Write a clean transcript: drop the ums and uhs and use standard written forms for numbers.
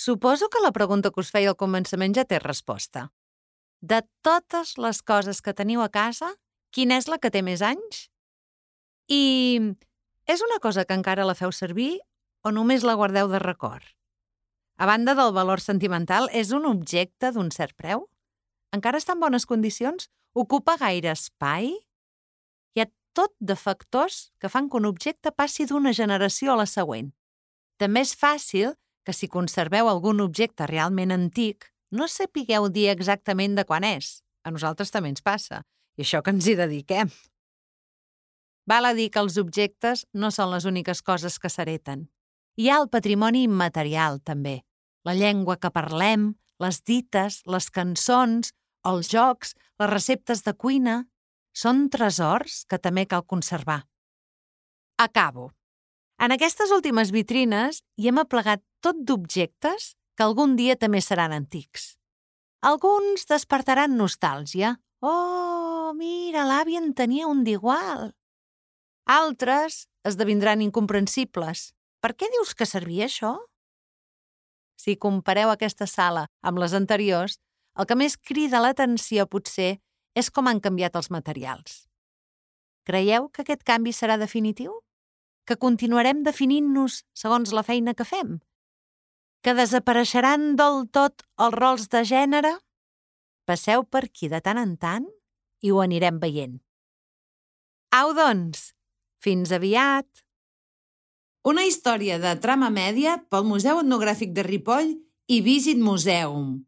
Suposo que la pregunta que us feia al començament ja té resposta. De totes les coses que teniu a casa, quina és la que té més anys? I és una cosa que encara la feu servir o només la guardeu de record? A banda del valor sentimental, és un objecte d'un cert preu? Encara està en bones condicions? Ocupa gaire espai? Hi ha tot de factors que fan que un objecte passi d'una generació a la següent. També és fàcil que si conserveu algun objecte realment antic, no sapigueu dir exactament de quan és. A nosaltres també ens passa. I això que ens hi dediquem. Val a dir que els objectes no són les úniques coses que s'hereten. Hi ha el patrimoni immaterial, també. La llengua que parlem, les dites, les cançons, els jocs, les receptes de cuina... Són tresors que també cal conservar. Acabo. En aquestes últimes vitrines hi hem aplegat tot d'objectes que algun dia també seran antics. Alguns despertaran nostàlgia. Oh, mira, l'avi en tenia un d'igual. Altres esdevindran incomprensibles. Per què dius que servia això? Si compareu aquesta sala amb les anteriors, el que més crida l'atenció potser és com han canviat els materials. Creieu que aquest canvi serà definitiu? Que continuarem definint-nos segons la feina que fem? Que desapareixeran del tot els rols de gènere? Passeu per aquí de tant en tant i ho anirem veient. Au, doncs! Fins aviat! Una història de Trama Mèdia pel Museu Etnogràfic de Ripoll i Visit Museum.